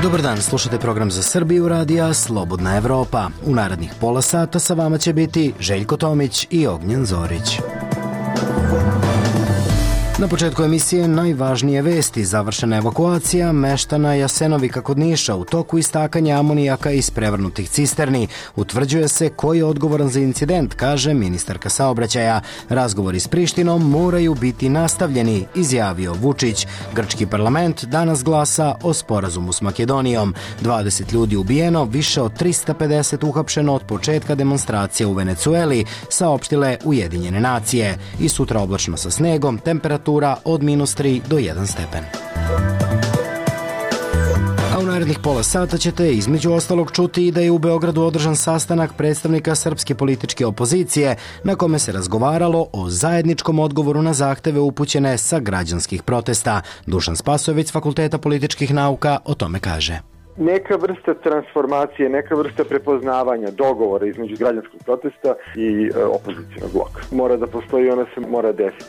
Dobar dan, slušate program za Srbiju radija Slobodna Evropa. U narednih pola sata sa vama će biti Željko Tomić i Ognjen Zorić. Na početku emisije najvažnije vesti: završena evakuacija meštana Jasenovika kod Niša u toku istakanja amonijaka iz prevrnutih cisterni. Utvrđuje se ko je odgovoran za incident, kaže ministarka saobraćaja. Razgovori s Prištinom moraju biti nastavljeni, izjavio Vučić. Grčki parlament danas glasa o sporazumu s Makedonijom. 20 ljudi ubijeno, više od 350 uhapšeno od početka demonstracije u Venecueli, saopštile Ujedinjene nacije. I sutra oblačno sa snegom, temperatura od -3 do 1 stepen. A u narednih pola sata ćete između ostalog čuti i da je u Beogradu održan sastanak predstavnika srpske političke opozicije na kome se razgovaralo o zajedničkom odgovoru na zahteve upućene sa građanskih protesta. Dušan Spasojević s Fakulteta političkih nauka o tome kaže. Neka vrsta transformacije, neka vrsta prepoznavanja, dogovora između građanskog protesta i opozicijnog bloka. Mora da postoji, ona se mora desiti.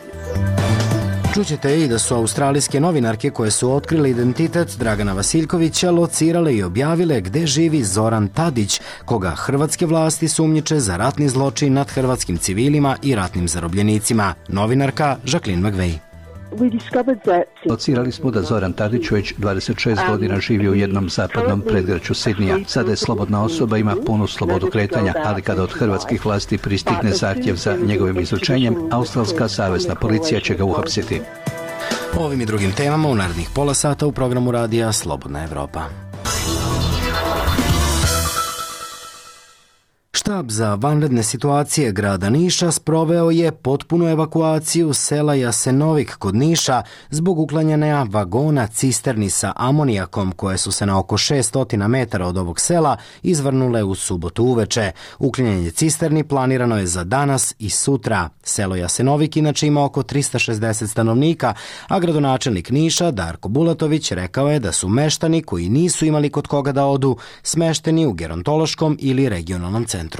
Čućete i da su australijske novinarke koje su otkrile identitet Dragana Vasiljkovića locirale i objavile gde živi Zoran Tadić, koga hrvatske vlasti sumnjiče za ratni zločin nad hrvatskim civilima i ratnim zarobljenicima. Novinarka Jacqueline McVeigh. Locirali smo da Zoran Tadić već 26 godina živi u jednom zapadnom predgrađu Sidnija. Sada je slobodna osoba, ima punu slobodu kretanja, ali kada od hrvatskih vlasti pristigne zahtjev za njegovim izručenjem, australska savezna policija će ga uhapsiti. O ovim i drugim temama u narednih pola sata u programu radija Slobodna Evropa. Štab za vanredne situacije grada Niša sproveo je potpunu evakuaciju sela Jasenovik kod Niša zbog uklanjanja vagona cisterni sa amonijakom koje su se na oko 600 metara od ovog sela izvrnule u subotu uveče. Uklanjanje cisterni planirano je za danas i sutra. Selo Jasenovik inače ima oko 360 stanovnika, a gradonačelnik Niša Darko Bulatović rekao je da su meštani koji nisu imali kod koga da odu smešteni u gerontološkom ili regionalnom centru.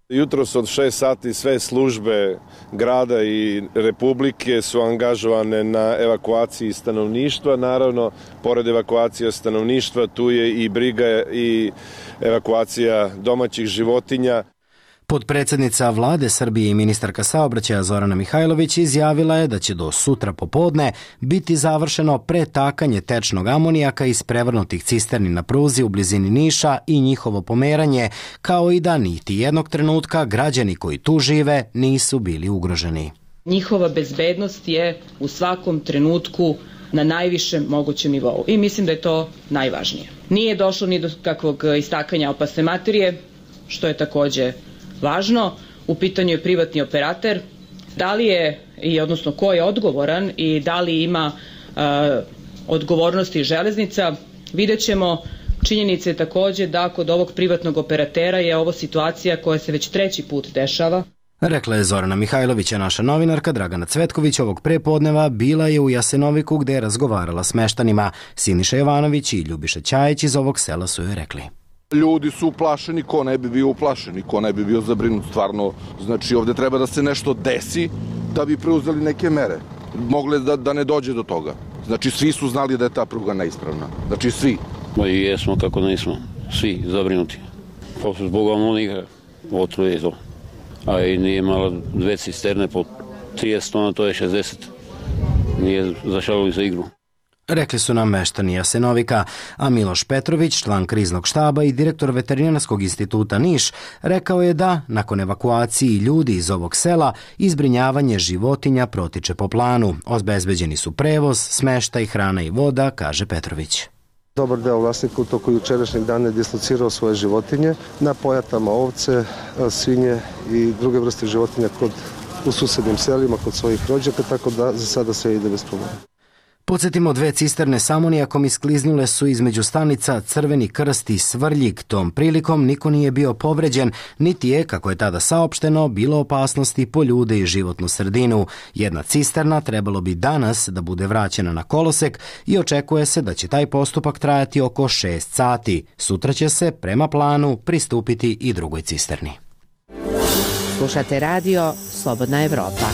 Jutros od 6 sati sve službe grada i republike su angažovane na evakuaciji stanovništva. Naravno, pored evakuacije stanovništva, tu je i briga i evakuacija domaćih životinja. Potpredsjednica vlade Srbije i ministarka saobraćaja Zorana Mihajlović izjavila je da će do sutra popodne biti završeno pretakanje tečnog amonijaka iz prevrnutih cisterni na pruzi u blizini Niša i njihovo pomeranje, kao i da niti jednog trenutka građani koji tu žive nisu bili ugroženi. Njihova bezbednost je u svakom trenutku na najvišem mogućem nivou i mislim da je to najvažnije. Nije došlo ni do kakvog istakanja opasne materije, što je takođe važno. U pitanju je privatni operater. Da li je, odnosno ko je odgovoran i da li ima odgovornosti železnica, vidjet ćemo. Činjenica je takođe da kod ovog privatnog operatera je ovo situacija koja se već 3. put dešava. Rekla je Zorana Mihajlović, a naša novinarka Dragana Cvetković ovog prepodneva bila je u Jasenoviku gde je razgovarala s meštanima. Siniša Jovanović i Ljubiša Ćajić iz ovog sela su joj rekli. Ljudi su uplašeni, ko ne bi bio uplašen, ko ne bi bio zabrinut, stvarno. Znači ovde treba da se nešto desi da bi preuzeli neke mere. Mogle da ne dođe do toga. Znači svi su znali da je ta pruga neispravna. Znači svi. I jesmo kako nismo, svi zabrinuti. Posle zbog amonijaka, otruje je to. A i nije malo 2 cisterne po 30 tona, to je 60. Nije zašalili za igru. Rekli su nam meštani Jasenovika, a Miloš Petrović, član kriznog štaba i direktor Veterinarskog instituta Niš, rekao je da, nakon evakuaciji ljudi iz ovog sela, izbrinjavanje životinja protiče po planu. Obezbeđeni su prevoz, smeštaj, hrana i voda, kaže Petrović. Dobar deo vlasnika u toku jučerašnjeg dana je dislocirao svoje životinje na pojatama ovce, svinje i druge vrste životinja u susednim selima kod svojih rođaka, tako da za sada sve ide bez problema. Podsjetimo, 2 cisterne s amonijakom iskliznule su između stanica Crveni krst i Svrljig. Tom prilikom niko nije bio povređen, niti je, kako je tada saopšteno, bilo opasnosti po ljude i životnu sredinu. Jedna cisterna trebalo bi danas da bude vraćena na kolosek i očekuje se da će taj postupak trajati oko 6 sati. Sutra će se, prema planu, pristupiti i drugoj cisterni. Slušate radio Slobodna Evropa.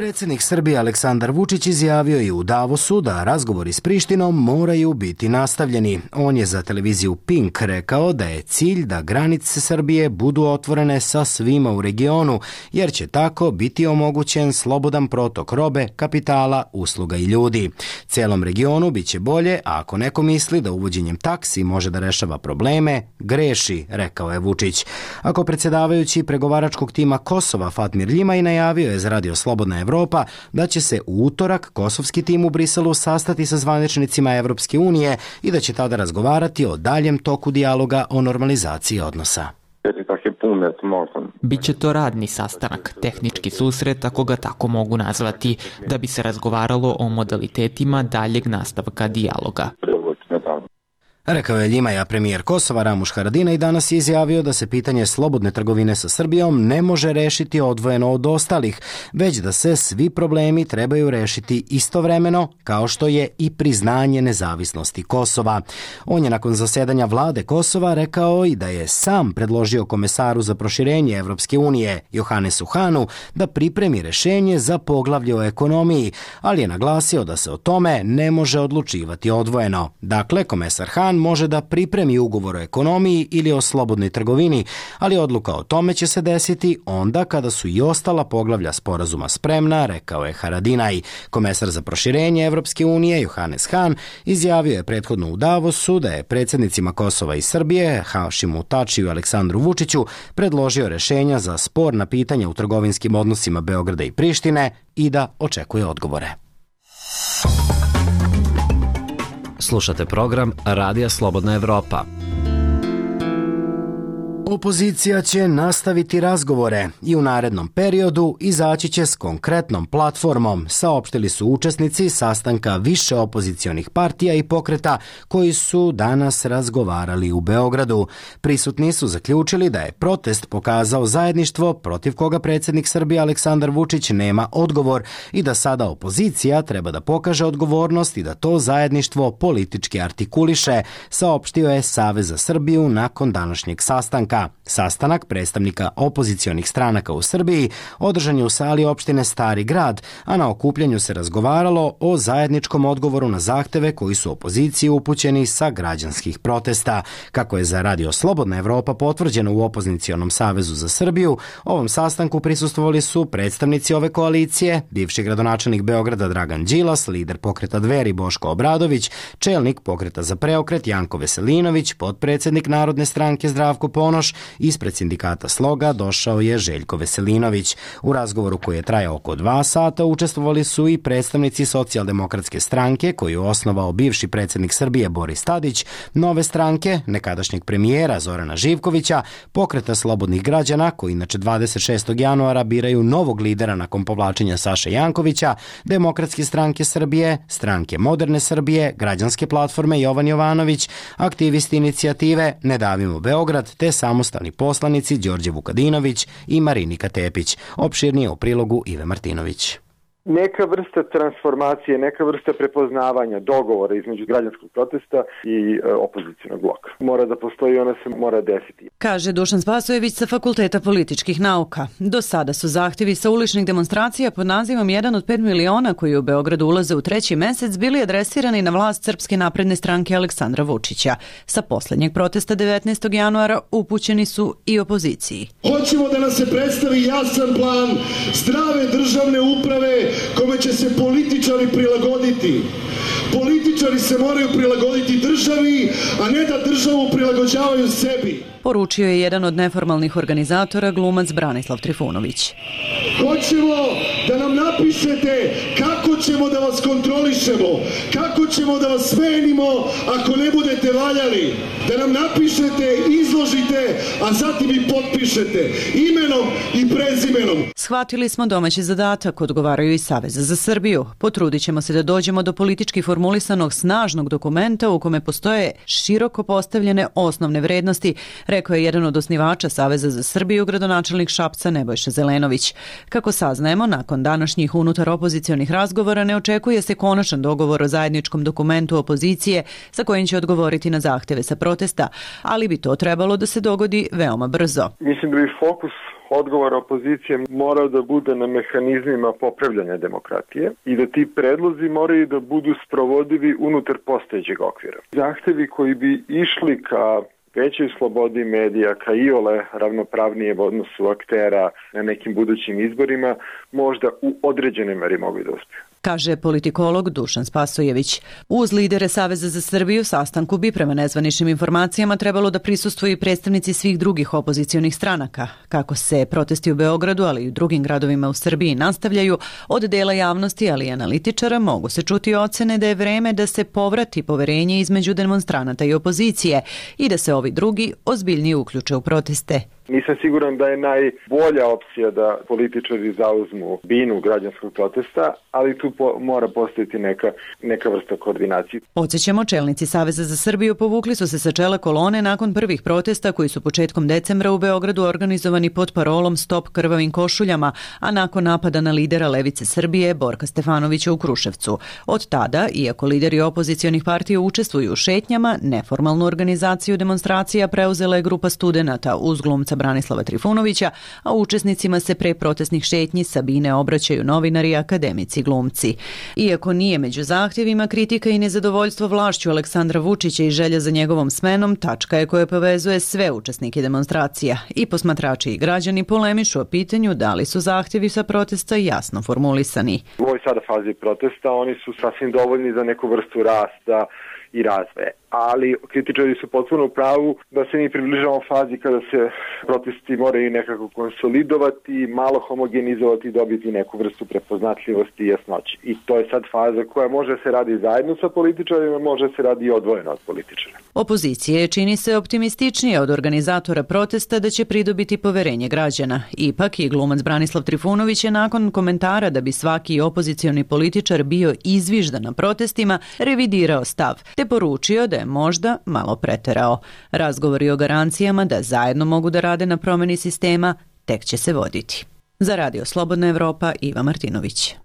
Predsjednik Srbije Aleksandar Vučić izjavio je u Davosu da razgovori s Prištinom moraju biti nastavljeni. On je za televiziju Pink rekao da je cilj da granice Srbije budu otvorene sa svima u regionu, jer će tako biti omogućen slobodan protok robe, kapitala, usluga i ljudi. Cijelom regionu bit će bolje, a ako neko misli da uvođenjem taksi može da rešava probleme, greši, rekao je Vučić. Ako predsjedavajući pregovaračkog tima Kosova Fatmir Ljimaj najavio je za Radio Slobodna Evropa da će se u utorak kosovski tim u Briselu sastati sa zvaničnicima Evropske unije i da će tada razgovarati o daljem toku dijaloga o normalizaciji odnosa. Biće to radni sastanak, tehnički susret, ako ga tako mogu nazvati, da bi se razgovaralo o modalitetima daljeg nastavka dijaloga. Rekao je Ljimaja premijer Kosova Ramuš Haradinaj danas je izjavio da se pitanje slobodne trgovine sa Srbijom ne može rešiti odvojeno od ostalih, već da se svi problemi trebaju rešiti istovremeno, kao što je i priznanje nezavisnosti Kosova. On je nakon zasedanja vlade Kosova rekao i da je sam predložio komesaru za proširenje Evropske unije Johannesu Hanu da pripremi rešenje za poglavlje o ekonomiji, ali je naglasio da se o tome ne može odlučivati odvojeno. Dakle, komesar Han može da pripremi ugovor o ekonomiji ili o slobodnoj trgovini, ali odluka o tome će se desiti onda kada su i ostala poglavlja sporazuma spremna, rekao je Haradinaj. Komesar za proširenje Evropske unije Johannes Han izjavio je prethodno u Davosu da je predsjednicima Kosova i Srbije, Hašimu Tačiju i Aleksandru Vučiću, predložio rešenja za sporna pitanja u trgovinskim odnosima Beograda i Prištine i da očekuje odgovore. Slušate program Radija Slobodna Evropa. Opozicija će nastaviti razgovore i u narednom periodu izaći će s konkretnom platformom, saopštili su učesnici sastanka više opozicionih partija i pokreta koji su danas razgovarali u Beogradu. Prisutni su zaključili da je protest pokazao zajedništvo protiv koga predsjednik Srbije Aleksandar Vučić nema odgovor i da sada opozicija treba da pokaže odgovornost i da to zajedništvo politički artikuliše, saopštio je Savez za Srbiju nakon današnjeg sastanka. Sastanak predstavnika opozicionih stranaka u Srbiji održan je u sali opštine Stari Grad, a na okupljanju se razgovaralo o zajedničkom odgovoru na zahteve koji su opoziciji upućeni sa građanskih protesta. Kako je za Radio Slobodna Evropa potvrđeno u Opozicionom savezu za Srbiju, ovom sastanku prisustvovali su predstavnici ove koalicije, bivši gradonačelnik Beograda Dragan Đilas, lider pokreta Dveri Boško Obradović, čelnik pokreta za preokret Janko Veselinović, potpredsednik Narodne stranke Zdravko Ponoš, ispred sindikata Sloga došao je Željko Veselinović. U razgovoru koji je trajao oko 2 sata učestvovali su i predstavnici Socijaldemokratske stranke koju osnovao bivši predsjednik Srbije Boris Tadić, Nove stranke, nekadašnjeg premijera Zorana Živkovića, pokreta Slobodnih građana koji inače 26. januara biraju novog lidera nakon povlačenja Saše Jankovića, Demokratske stranke Srbije, Stranke Moderne Srbije, Građanske platforme Jovan Jovanović, aktivisti inicijative Ne davimo Beograd te samostalni poslanici Đorđe Vukadinović i Marinika Tepić. Opširnije u prilogu Ive Martinović. Neka vrsta transformacije, neka vrsta prepoznavanja dogovora između građanskog protesta i opozicionog bloka. Mora da postoji, ona se mora desiti. Kaže Dušan Spasojević sa Fakulteta političkih nauka. Do sada su zahtjevi sa uličnih demonstracija pod nazivom 1 od 5 miliona koji u Beogradu ulaze u 3. mesec bili adresirani na vlast Srpske napredne stranke Aleksandra Vučića. Sa posljednjeg protesta 19. januara upućeni su i opoziciji. Hoćemo da nam se predstavi jasan plan zdrave državne uprave kome će se političari prilagoditi. Političari se moraju prilagoditi državi, a ne da državu prilagođavaju sebi. Poručio je jedan od neformalnih organizatora, glumac Branislav Trifunović. Hoćemo da nam napišete kako ćemo da vas kontrolišemo, kako ćemo da vas smenimo ako ne budete valjali. Da nam napišete, izložite, a zatim i potpišete imenom i prezimenom. Shvatili smo domaći zadatak, odgovaraju i Saveza za Srbiju. Potrudit ćemo se da dođemo do politički formulisanog snažnog dokumenta u kome postoje široko postavljene osnovne vrednosti, rekao je jedan od osnivača Saveza za Srbiju, gradonačelnik Šapca Nebojša Zelenović. Kako saznajemo, nakon današnjih unutar opozicionih razgovora ne očekuje se konačan dogovor o zajedničkom dokumentu opozicije sa kojim će odgovoriti na zahteve sa protesta, ali bi to trebalo da se dogodi veoma brzo. Mislim da bi fokus odgovor opozicije morao da bude na mehanizmima popravljanja demokratije i da ti predlozi moraju da budu sprovodivi unutar postojećeg okvira. Zahtevi koji bi išli ka većoj slobodi medija, ka iole ravnopravnije odnosu aktera na nekim budućim izborima, možda u određenoj meri mogu da uspiju. Kaže politikolog Dušan Spasojević. Uz lidere Saveza za Srbiju sastanku bi prema nezvaničnim informacijama trebalo da prisustvuju i predstavnici svih drugih opozicionih stranaka. Kako se protesti u Beogradu, ali i u drugim gradovima u Srbiji nastavljaju, od dela javnosti, ali i analitičara mogu se čuti ocene da je vreme da se povrati poverenje između demonstranata i opozicije i da se ovi drugi ozbiljnije uključe u proteste. Nisam siguran da je najbolja opcija da političari zauzmu binu građanskog protesta, ali tu mora postojati neka vrsta koordinacije. Podsjećamo, čelnici Saveza za Srbiju povukli su se sa čela kolone nakon prvih protesta koji su početkom decembra u Beogradu organizovani pod parolom Stop krvavim košuljama, a nakon napada na lidera Levice Srbije Borka Stefanovića u Kruševcu. Od tada, iako lideri opozicionih partija učestvuju u šetnjama, neformalnu organizaciju demonstracija preuzela je grupa studenata uz glumca Branislava Trifunovića, a učesnicima se pre protestnih šetnji Sabine obraćaju novinari i akademici glumci. Iako nije među zahtjevima, kritika i nezadovoljstvo vlašću Aleksandra Vučića i želja za njegovom smenom tačka je koja povezuje sve učesnike demonstracija. I posmatrači i građani polemišu o pitanju da li su zahtjevi sa protesta jasno formulisani. U ovoj sada fazi protesta oni su sasvim dovoljni za neku vrstu rasta i razvoja. Ali kritičari su potpuno u pravu da se mi približavamo fazi kada se protesti moraju nekako konsolidovati, malo homogenizovati i dobiti neku vrstu prepoznatljivosti i jasnoće. I to je sad faza koja može se radi zajedno sa političarima, može se radi i odvojeno od političara. Opozicije čini se optimističnije od organizatora protesta da će pridobiti poverenje građana. Ipak i glumac Branislav Trifunović je nakon komentara da bi svaki opozicioni političar bio izviždan na protestima revidirao stav, te poručio da je možda malo preterao. Razgovori o garancijama da zajedno mogu da rade na promjeni sistema tek će se voditi. Za Radio Slobodna Evropa, Iva Martinović.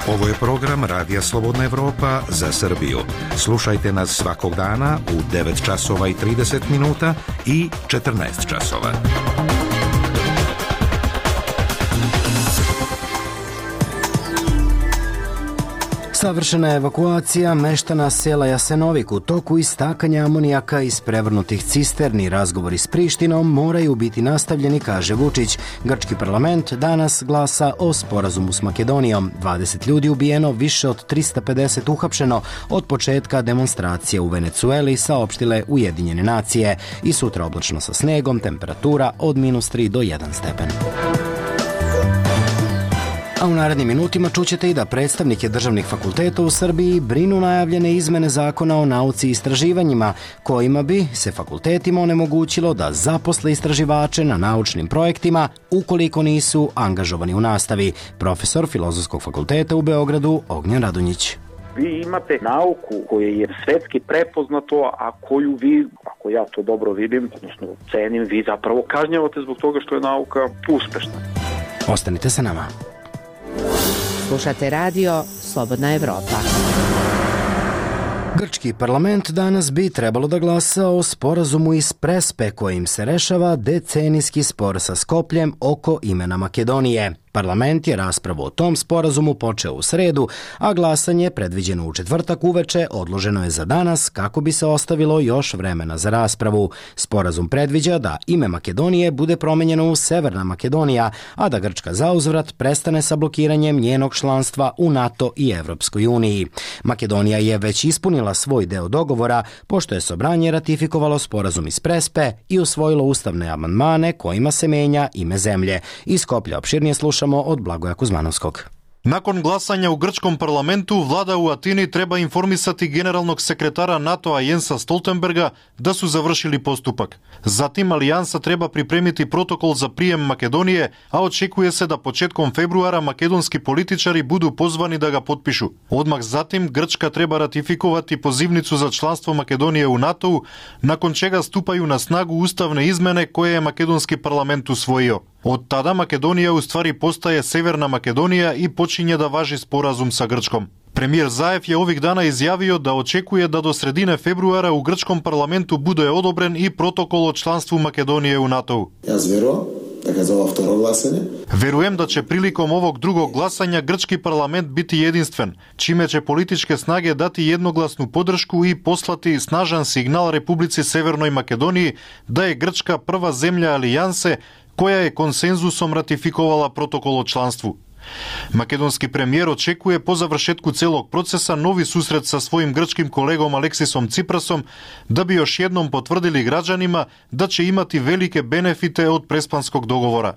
Ovo je program Radija Slobodna Evropa za Srbiju. Slušajte nas svakog dana u 9 časova i 30 minuta i 14 časova. Savršena je evakuacija meštana sela Jasenovik u toku istakanja amonijaka iz prevrnutih cisterni. Razgovori s Prištinom moraju biti nastavljeni, kaže Vučić. Grčki parlament danas glasa o sporazumu s Makedonijom. 20 ljudi ubijeno, više od 350 uhapšeno od početka demonstracije u Venecueli, saopštile Ujedinjene nacije. I sutra oblačno sa snegom, temperatura od -3 do 1 stepen. A u narednim minutima čućete i da predstavnike državnih fakulteta u Srbiji brinu najavljene izmene zakona o nauci i istraživanjima, kojima bi se fakultetima onemogućilo da zaposle istraživače na naučnim projektima ukoliko nisu angažovani u nastavi. Profesor Filozofskog fakulteta u Beogradu Ognjen Radonjić. Vi imate nauku koja je svetski prepoznato, a koju vi, ako ja to dobro vidim, odnosno cenim, vi zapravo kažnjavate zbog toga što je nauka uspešna. Ostanite sa nama. Slušate radio Slobodna Evropa. Grčki parlament danas bi trebalo da glasa o sporazumu iz Prespe kojim se rešava decenijski spor sa Skopljem oko imena Makedonije. Parlament je raspravu o tom sporazumu počeo u sredu, a glasanje, predviđeno u četvrtak uveče, odloženo je za danas kako bi se ostavilo još vremena za raspravu. Sporazum predviđa da ime Makedonije bude promenjeno u Severna Makedonija, a da Grčka zauzvrat prestane sa blokiranjem njenog članstva u NATO i Evropskoj uniji. Makedonija je već ispunila svoj deo dogovora, pošto je Sobranje ratifikovalo sporazum iz Prespe i usvojilo ustavne amandmane kojima se menja ime zemlje. Iz Skoplja opširnije slušamo od Blagoja Kuzmanovskog. Nakon glasanja u grčkom parlamentu, vlada u Atini treba informisati generalnog sekretara NATO-a Jensa Stoltenberga da su završili postupak. Zatim alijansa treba pripremiti protokol za prijem Makedonije, a očekuje se da početkom februara makedonski političari budu pozvani da ga potpišu. Odmah zatim Grčka treba ratifikovati pozivnicu za članstvo Makedonije u NATO-u, nakon čega stupaju na snagu ustavne izmene koje je makedonski parlament usvojio. Od tada Makedonija u stvari postaje Severna Makedonija i počinje da važi sporazum sa Grčkom. Премиер Заев je ovih dana izjavio da očekuje da do sredine februara u grčkom parlamentu bude odobren i protokol o članstvu Makedonije u NATO-u. Verujem da će prilikom ovog drugog glasanja grčki parlament biti jedinstven, čime će političke snage dati jednoglasnu podršku i poslati snažan signal Republici Severnoj Makedoniji da je Grčka prva zemlja alijanse koja je konsenzusom ratifikovala protokol o članstvu. Makedonski premijer očekuje po završetku celog procesa novi susret sa svojim grčkim kolegom Aleksisom Ciprasom da bi još jednom potvrdili građanima da će imati velike benefite od prespanskog dogovora.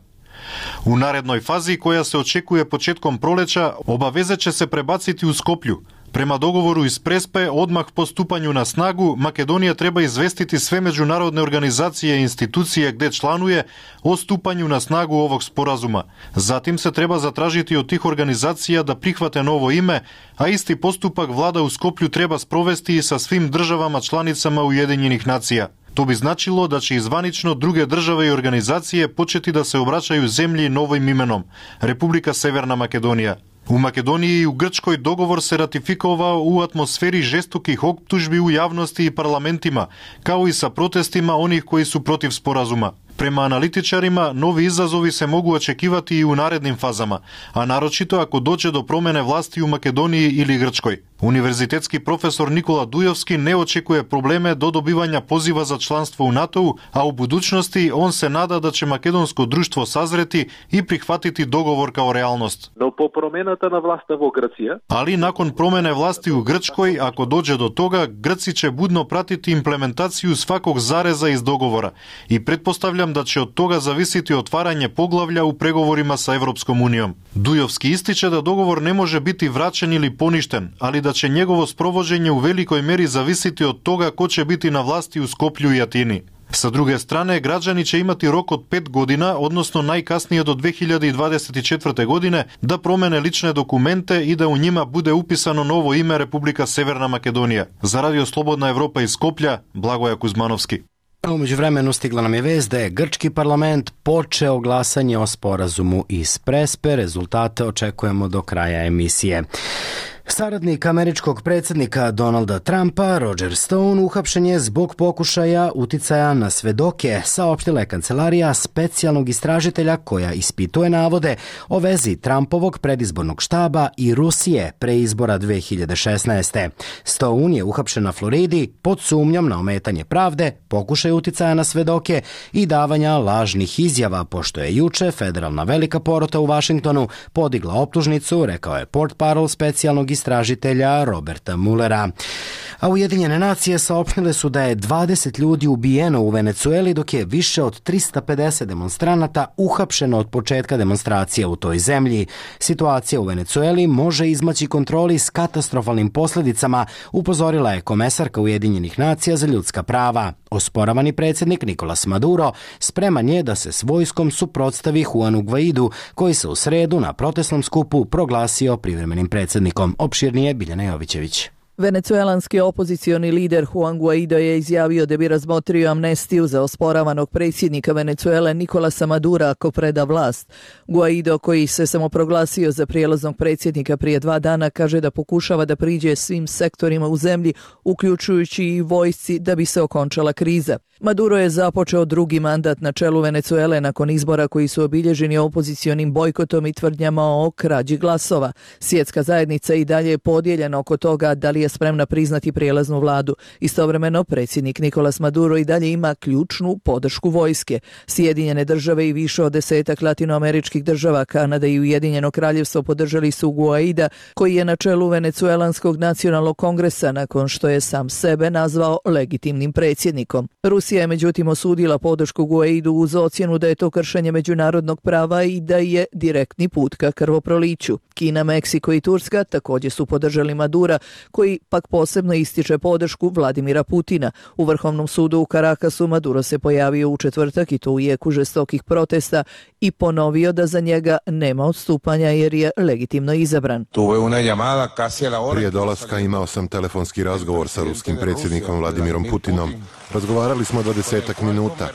U narednoj fazi, koja se očekuje početkom proleća, obaveze će se prebaciti u Skoplju. Prema dogovoru iz Prespe, odmah po stupanju na snagu, Makedonija treba izvestiti sve međunarodne organizacije i institucije gde članuje o stupanju na snagu ovog sporazuma. Zatim se treba zatražiti od tih organizacija da prihvate novo ime, a isti postupak vlada u Skoplju treba sprovesti i sa svim državama članicama Ujedinjenih nacija. To bi značilo da će izvanično druge države i organizacije početi da se obraćaju zemlji novim imenom – Republika Severna Makedonija. U Makedoniji i u Grčkoj dogovor se ratifikovao u atmosferi žestokih optužbi u javnosti i parlamentima, kao i sa protestima onih koji su protiv sporazuma. Prema analitičarima, novi izazovi se mogu očekivati i u narednim fazama, a naročito ako dođe do promene vlasti u Makedoniji ili Grčkoj. Univerzitetski profesor Nikola Dujovski ne očekuje probleme do dobivanja poziva za članstvo u NATO-u, a u budućnosti on se nada da će makedonsko društvo sazreti i prihvatiti dogovor kao realnost. Ali nakon promene vlasti u Grčkoj, ako dođe do toga, Grci će budno pratiti implementaciju svakog zareza iz dogovora i pretpostavljam da će od toga zavisiti otvaranje poglavlja u pregovorima sa Evropskom unijom. Dujovski ističe da dogovor ne može biti vraćen ili poništen, ali da će njegovo sprovođenje u velikoj meri zavisiti od toga ko će biti na vlasti u Skoplju i Atini. Sa druge strane, građani će imati rok od 5 godina, odnosno najkasnije do 2024. godine, da promene lične dokumente i da u njima bude upisano novo ime Republika Severna Makedonija. Za Radio Slobodna Evropa iz Skoplja, Blagoja Kuzmanovski. U međuvremenu stigla nam je vest da je grčki parlament počeo glasanje o sporazumu iz Prespe. Rezultate očekujemo do kraja emisije. Saradnik američkog predsjednika Donalda Trumpa, Roger Stone, uhapšen je zbog pokušaja uticaja na svedoke, saopštila je kancelarija specijalnog istražitelja koja ispituje navode o vezi Trumpovog predizbornog štaba i Rusije pre izbora 2016. Stone je uhapšen na Floridi pod sumnjom na ometanje pravde, pokušaj uticaja na svedoke i davanja lažnih izjava, pošto je juče federalna velika porota u Vašingtonu podigla optužnicu, rekao je portparol specijalnog istražitelja Roberta Mullera. A Ujedinjene nacije saopštile su da je 20 ljudi ubijeno u Venecueli, dok je više od 350 demonstranata uhapšeno od početka demonstracija u toj zemlji. Situacija u Venecueli može izmaći kontroli s katastrofalnim posljedicama, upozorila je komesarka Ujedinjenih nacija za ljudska prava. Osporavani predsjednik Nicolas Maduro spreman je da se s vojskom suprotstavi Juanu Guaidu, koji se u sredu na protestnom skupu proglasio privremenim predsjednikom. Opširnije Biljana Jovićević. Venecuelanski opozicioni lider Juan Guaido je izjavio da bi razmotrio amnestiju za osporavanog predsjednika Venecuele Nicolasa Madura ako preda vlast. Guaido, koji se samoproglasio za prijelaznog predsjednika prije 2 dana, kaže da pokušava da priđe svim sektorima u zemlji, uključujući i vojsci, da bi se okončala kriza. Maduro je započeo drugi mandat na čelu Venecuele nakon izbora koji su obilježeni opozicionim bojkotom i tvrdnjama o krađi glasova. Svjetska zajednica i dalje je podijeljena oko toga da li je spremna priznati prijelaznu vladu. Istovremeno, predsjednik Nicolas Maduro i dalje ima ključnu podršku vojske. Sjedinjene države i više od 10 latinoameričkih država, Kanada i Ujedinjeno kraljevstvo podržali su Guaida, koji je na čelu Venecuelanskog nacionalnog kongresa nakon što je sam sebe nazvao legitimnim predsjednikom. Rusija je međutim osudila podršku Guaidu uz ocjenu da je to kršenje međunarodnog prava i da je direktni put ka krvoproliću. Kina, Meksiko i Turska također su podržali Madura, koji Venecueli pak posebno ističe podršku Vladimira Putina. U Vrhovnom sudu u Karakasu Maduro se pojavio u četvrtak i to u jeku žestokih protesta i ponovio da za njega nema odstupanja jer je legitimno izabran. Prije dolaska imao sam telefonski razgovor sa ruskim predsjednikom Vladimirom Putinom. Razgovarali smo 20 minuta.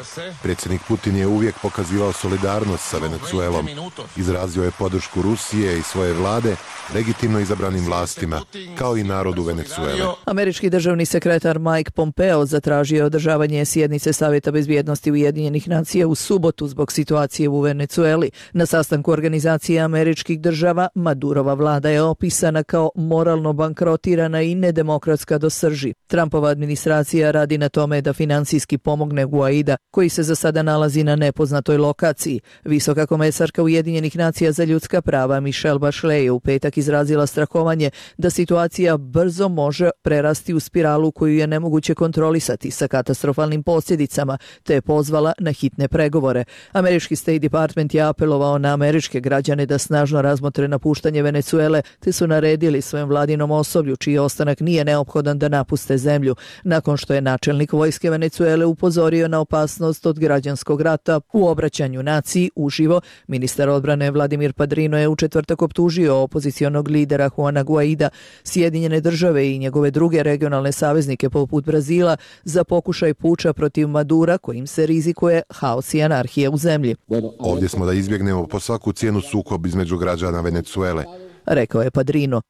Predsjednik Putin je uvijek pokazivao solidarnost sa Venecuelom. Izrazio je podršku Rusije i svoje vlade legitimno izabranim vlastima, kao i narodu Venecuele. Američki državni sekretar Mike Pompeo zatražio je održavanje sjednice Savjeta bezbjednosti Ujedinjenih nacija u subotu zbog situacije u Venecueli. Na sastanku Organizacije američkih država Madurova vlada je opisana kao moralno bankrotirana i nedemokratska do srži. Trumpova administracija radi na tome da finansijski pomogne Guaida, koji se za sada nalazi na nepoznatoj lokaciji. Visoka komesarka Ujedinjenih nacija za ljudska prava Michelle Bachelet je u petak izrazila strahovanje da situacija brzo može prerasti u spiralu koju je nemoguće kontrolisati sa katastrofalnim posljedicama, te je pozvala na hitne pregovore. Američki State Department je apelovao na američke građane da snažno razmotre napuštanje Venecuele, te su naredili svojem vladinom osoblju, čiji ostanak nije neophodan da napuste zemlju, nakon što je načelnik vojske Venecuele upozorio na opasnost od građanskog rata. U obraćanju naciji uživo, ministar odbrane Vladimir Padrino je u četvrtak optužio opozicionog lidera Juana Guaida, Sjedinjene države i njegove druge regionalne saveznike poput Brazila za pokušaj puča protiv Madura kojim se rizikuje haos i anarhija u zemlji. Ovdje smo da izbjegnemo po svaku cijenu sukob između građana Venecuele, rekao je Padrino.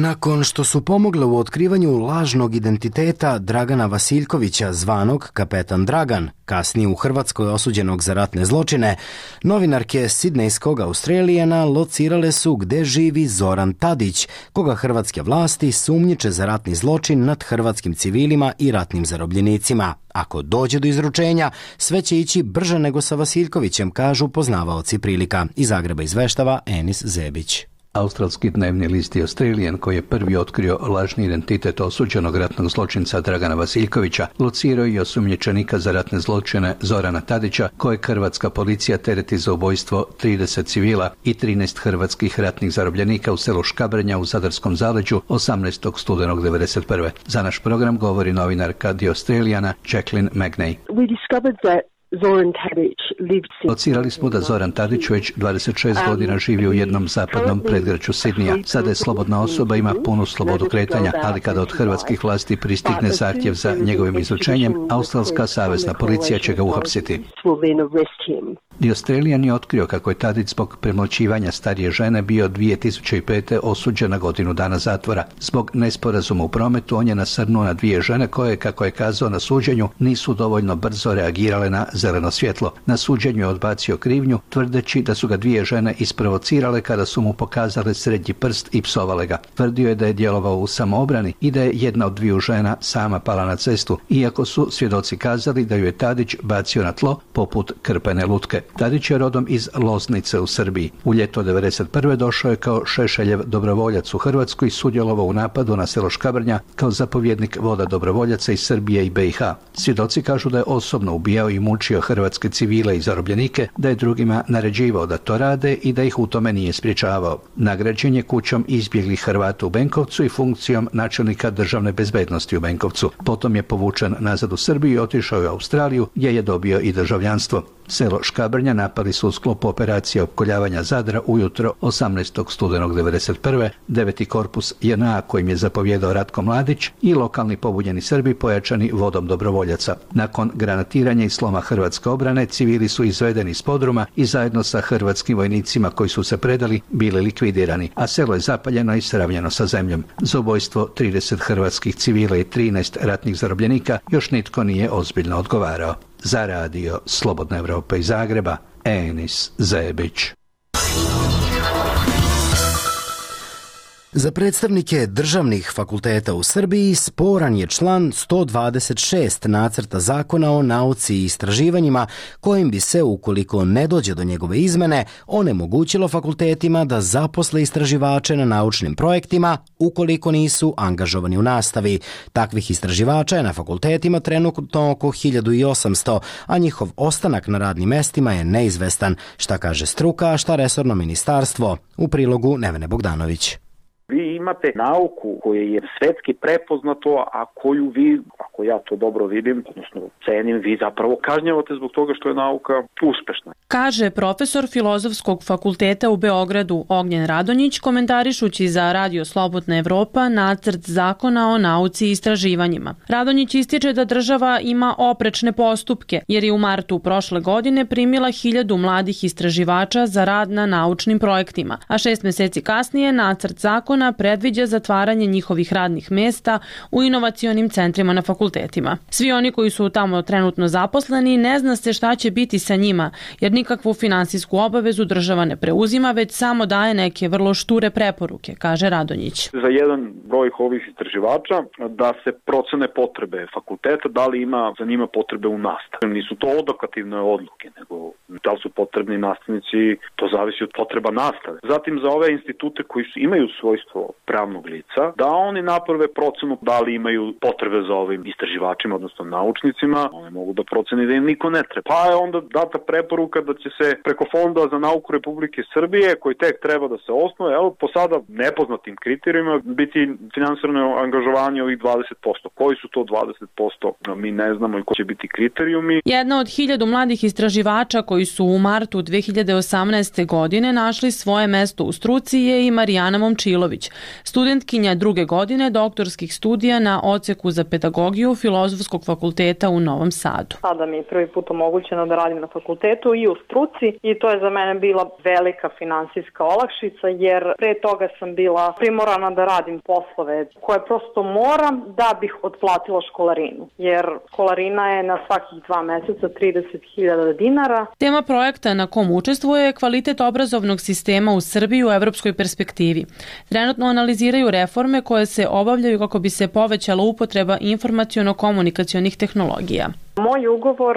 Nakon što su pomogle u otkrivanju lažnog identiteta Dragana Vasiljkovića, zvanog Kapetan Dragan, kasnije u Hrvatskoj osuđenog za ratne zločine, novinarke sidnejskog Australijana locirale su gde živi Zoran Tadić, koga hrvatske vlasti sumnjiče za ratni zločin nad hrvatskim civilima i ratnim zarobljenicima. Ako dođe do izručenja, sve će ići brže nego sa Vasiljkovićem, kažu poznavaoci prilika. Iz Zagreba izveštava Enis Zebić. Australski dnevni list The Australian, koji je prvi otkrio lažni identitet osuđenog ratnog zločinca Dragana Vasiljkovića, locirao i osumnjičenika za ratne zločine Zorana Tadića, kojeg hrvatska policija tereti za ubojstvo 30 civila i 13 hrvatskih ratnih zarobljenika u selu Škabrnja u Zadarskom zaleđu 18. studenog 1991. Za naš program govori novinarka The Australiana Jacqueline Magnay. Locirali smo da Zoran Tadić već 26 godina živi u jednom zapadnom predgrađu Sidnija. Sada je slobodna osoba, ima punu slobodu kretanja, ali kada od hrvatskih vlasti pristigne zahtjev za njegovim izručenjem, australska savezna policija će ga uhapsiti. The Australian je otkrio kako je Tadić zbog premlaćivanja starije žene bio 2005. osuđen na godinu dana zatvora. Zbog nesporazuma u prometu on je nasrnuo na dvije žene koje, kako je kazao na suđenju, nisu dovoljno brzo reagirale na zeleno svjetlo. Na suđenju je odbacio krivnju, tvrdeći da su ga dvije žene isprovocirale kada su mu pokazale srednji prst i psovale ga. Tvrdio je da je djelovao u samoobrani i da je jedna od dviju žena sama pala na cestu, iako su svjedoci kazali da ju je Tadić bacio na tlo poput krpene lutke. Tadić je rodom iz Loznice u Srbiji. U ljeto 1991. došao je kao Šešeljev dobrovoljac u Hrvatsku i sudjelovao u napadu na selo Škabrnja kao zapovjednik voda dobrovoljaca iz Srbije i BiH. Svjedoci kažu da je osobno ubijao i mučio hrvatske civile i zarobljenike, da je drugima naređivao da to rade i da ih u tome nije sprječavao. Nagrađen je kućom izbjeglih Hrvata u Benkovcu i funkcijom načelnika državne bezbednosti u Benkovcu. Potom je povučen nazad u Srbiju i otišao u Australiju, gdje je dobio i državljanstvo. Selo Škabrnja napali su u sklopu operacije opkoljavanja Zadra ujutro 18. studenog 1991. 9. korpus JNA kojim je zapovjedao Ratko Mladić i lokalni pobunjeni Srbi pojačani vodom dobrovoljaca. Nakon granatiranja i sloma hrvatske obrane, civili su izvedeni iz podruma i zajedno sa hrvatskim vojnicima koji su se predali bili likvidirani, a selo je zapaljeno i sravnjeno sa zemljom. Za ubojstvo 30 hrvatskih civila i 13 ratnih zarobljenika još nitko nije ozbiljno odgovarao. Za radio Slobodna Evropa iz Zagreba, Enis Zebić. Za predstavnike državnih fakulteta u Srbiji sporan je član 126 nacrta zakona o nauci i istraživanjima, kojim bi se, ukoliko ne dođe do njegove izmene, onemogućilo fakultetima da zaposle istraživače na naučnim projektima ukoliko nisu angažovani u nastavi. Takvih istraživača je na fakultetima trenutno oko 1800, a njihov ostanak na radnim mestima je neizvestan, šta kaže struka, a šta resorno ministarstvo. U prilogu Nevene Bogdanović. Vi imate nauku koja je svetski prepoznato, a koju vi, ako ja to dobro vidim, odnosno cenim, vi zapravo kažnjavate zbog toga što je nauka uspešna. Kaže profesor Filozofskog fakulteta u Beogradu Ognjen Radonjić, komentarišući za Radio Slobodna Evropa nacrt zakona o nauci i istraživanjima. Radonjić ističe da država ima oprečne postupke, jer je u martu prošle godine primila 1000 mladih istraživača za rad na naučnim projektima, a 6 meseci kasnije nacrt zakona predviđa zatvaranje njihovih radnih mesta u inovacionim centrima na fakultetima. Svi oni koji su tamo trenutno zaposleni ne zna se šta će biti sa njima, jer nikakvu finansijsku obavezu država ne preuzima, već samo daje neke vrlo šture preporuke, kaže Radonjić. Za jedan broj ovih istraživača da se procene potrebe fakulteta, da li ima za njima potrebe u nastavi. Nisu to odokativne odluke, nego da li su potrebni nastavnici, to zavisi od potreba nastave. Zatim za ove institute koji imaju svojstvo pravnog lica, da oni naprave procenu da li imaju potrebe za ovim istraživačima, odnosno naučnicima, oni mogu da proceni da im niko ne treba. Pa je onda data preporuka da će se preko Fonda za nauku Republike Srbije, koji tek treba da se osnuje, po sada nepoznatim kriterijima, biti finansirano angažovanje ovih 20%. Koji su to 20%? Mi ne znamo i koji će biti kriterijumi. Jedna od 1000 mladih istraživača koji su u martu 2018. godine našli svoje mesto u struci je i Marijana Momčilović, studentkinja 2. godine doktorskih studija na odseku za pedagogiju Filozofskog fakulteta u Novom Sadu. Sada mi je prvi put omogućeno da radim na fakultetu i u struci i to je za mene bila velika finansijska olakšica, jer pre toga sam bila primorana da radim poslove koje prosto moram da bih otplatila školarinu, jer školarina je na svakih 2 meseca 30.000 dinara. Tema projekta na kom učestvuje je kvalitet obrazovnog sistema u Srbiji u evropskoj perspektivi. Trenutno analiziraju reforme koje se obavljaju kako bi se povećala upotreba informaciono-komunikacionih tehnologija. Moj ugovor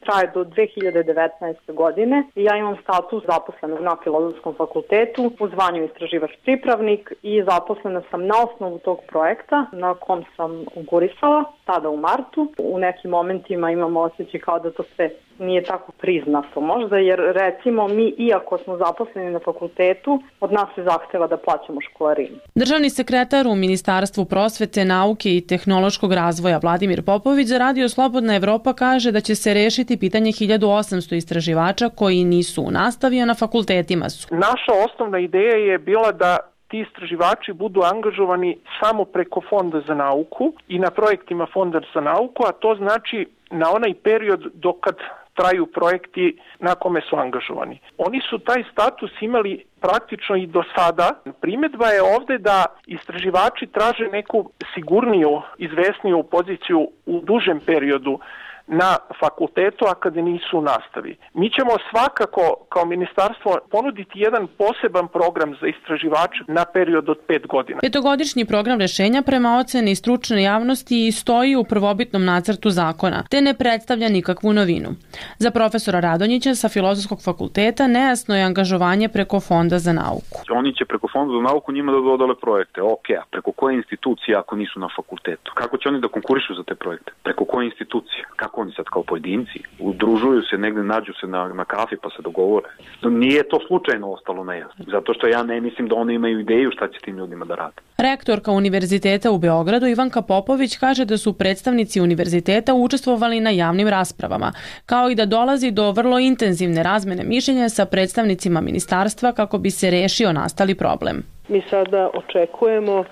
traje do 2019. godine i ja imam status zaposlenog na Filozofskom fakultetu u zvanju istraživač pripravnik i zaposlena sam na osnovu tog projekta na kom sam konkurisala tada u martu. U nekim momentima imamo osjećaj kao da to sve nije tako priznato možda, jer recimo mi, iako smo zaposleni na fakultetu, od nas se zahteva da plaćamo školarinu. Državni sekretar u Ministarstvu prosvete, nauke i tehnološkog razvoja Vladimir Popović za Radio Slobodna Evropa kaže da će se rešiti pitanje 1800 istraživača koji nisu u nastavi, a na fakultetima su. Naša osnovna ideja je bila da ti istraživači budu angažovani samo preko Fonda za nauku i na projektima Fonda za nauku, a to znači na onaj period dokad traju projekti na kome su angažovani. Oni su taj status imali praktično i do sada. Primjedba je ovde da istraživači traže neku sigurniju, izvesniju poziciju u dužem periodu na fakultetu, a kada nisu u nastavi. Mi ćemo svakako kao ministarstvo ponuditi jedan poseban program za istraživače na period od 5 godina. 5-godišnji program rešenja prema oceni stručne javnosti stoji u prvobitnom nacrtu zakona, te ne predstavlja nikakvu novinu. Za profesora Radonjića sa Filozofskog fakulteta nejasno je angažovanje preko Fonda za nauku. Oni će preko Fonda za nauku njima da dodale projekte. Ok, a preko koje institucije ako nisu na fakultetu? Kako će oni da konkurišu za te projekte? Preko koje institucije? Kako oni sad kao pojedinci udružuju se, negde nađu se na kafi pa se dogovore. Nije to slučajno ostalo nejasno, zato što ja ne mislim da oni imaju ideju šta će tim ljudima da rade. Rektorka Univerziteta u Beogradu Ivanka Popović kaže da su predstavnici univerziteta učestvovali na javnim raspravama, kao i da dolazi do vrlo intenzivne razmene mišljenja sa predstavnicima ministarstva kako bi se rešio nastali problem. Mi sada očekujemo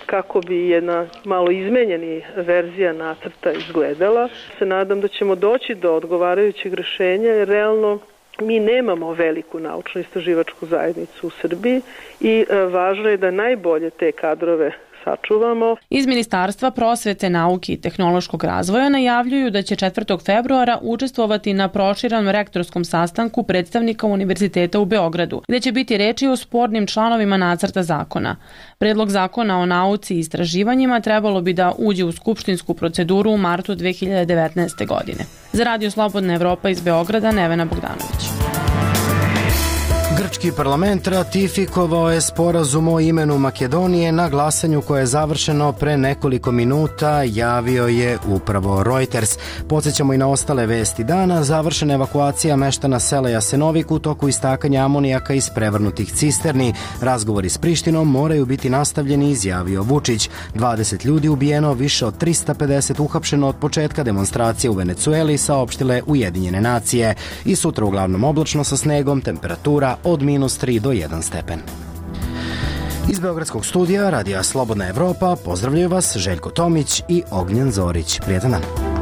kako bi jedna malo izmenjeni verzija nacrta izgledala. Se nadam da ćemo doći do odgovarajućeg rešenja, jer realno mi nemamo veliku naučno-istraživačku zajednicu u Srbiji i važno je da najbolje te kadrove sačuvamo. Iz Ministarstva prosvete, nauke i tehnološkog razvoja najavljuju da će 4. februara učestvovati na proširenom rektorskom sastanku predstavnika Univerziteta u Beogradu, gde će biti reči o spornim članovima nacrta zakona. Predlog zakona o nauci i istraživanjima trebalo bi da uđe u skupštinsku proceduru u martu 2019. godine. Za Radio Slobodna Evropa iz Beograda, Nevena Bogdanović. Grčki parlament ratifikovao je sporazum o imenu Makedonije na glasanju koje je završeno pre nekoliko minuta, javio je upravo Reuters. Podsjećamo i na ostale vesti dana. Završena evakuacija meštana sela Jasenovik u toku istakanja amonijaka iz prevrnutih cisterni. Razgovori s Prištinom moraju biti nastavljeni, izjavio Vučić. 20 ljudi ubijeno, više od 350 uhapšeno od početka demonstracije u Venecueli, saopštile Ujedinjene nacije. I sutra uglavnom oblačno sa snegom, temperatura od -3 do 1 stepen. Iz Beogradskog studija Radija Slobodna Evropa pozdravljaju vas Željko Tomić i Ognjen Zorić. Prijetan dan.